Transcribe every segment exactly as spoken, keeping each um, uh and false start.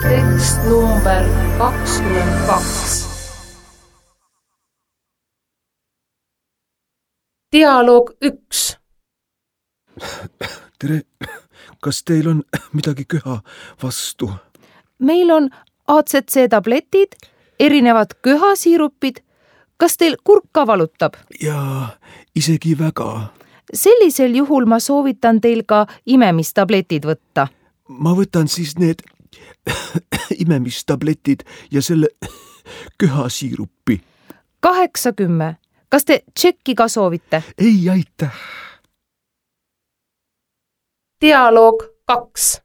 Tekst number kakskümmend kaks. Dialoog üks. Tere, kas teil on midagi köha vastu? Meil on A C C tabletid, erinevad köhasiirupid. Kas teil kurk ka valutab? Jaa, isegi väga. Sellisel juhul ma soovitan teil ka imemistabletid võtta. Ma võtan siis need imemistabletid ja selle köhasiirupi. kaheksakümmend. Kas te tšekki ka soovite? Ei, aitäh. Dialoog kaks.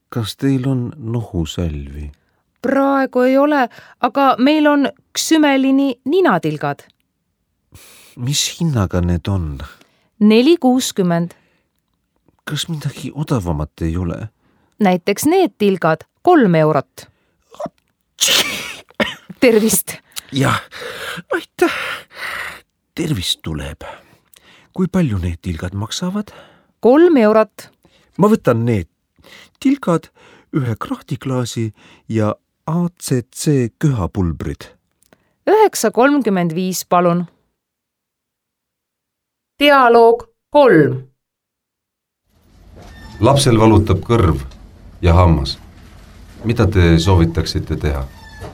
Kas teil on nohusalvi? Praegu ei ole, aga meil on ksümelini ninatilgad. Mis hinnaga need on? neli kuuskümmend. Kas midagi odavamat ei ole? Näiteks need tilgad kolm eurot. Tervist! Jah, aitäh. Tervist tuleb. Kui palju need tilgad maksavad? Kolm eurot. Ma võtan need tilgad, ühe krahtiklaasi ja A C C köhapulbrid. üheksa kolmkümmend viis, palun. Dialoog kolm. Lapsel valutab kõrv ja hammas. Mida te soovitaksite teha?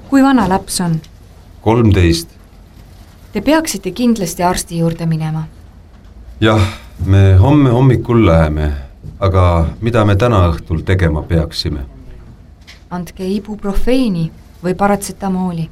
Kui vana laps on? kolmteist. Te peaksite kindlasti arsti juurde minema. Jah, me homme hommikul läheme, aga mida me täna õhtul tegema peaksime? Andke ibuprofeeni või paratsetamooli.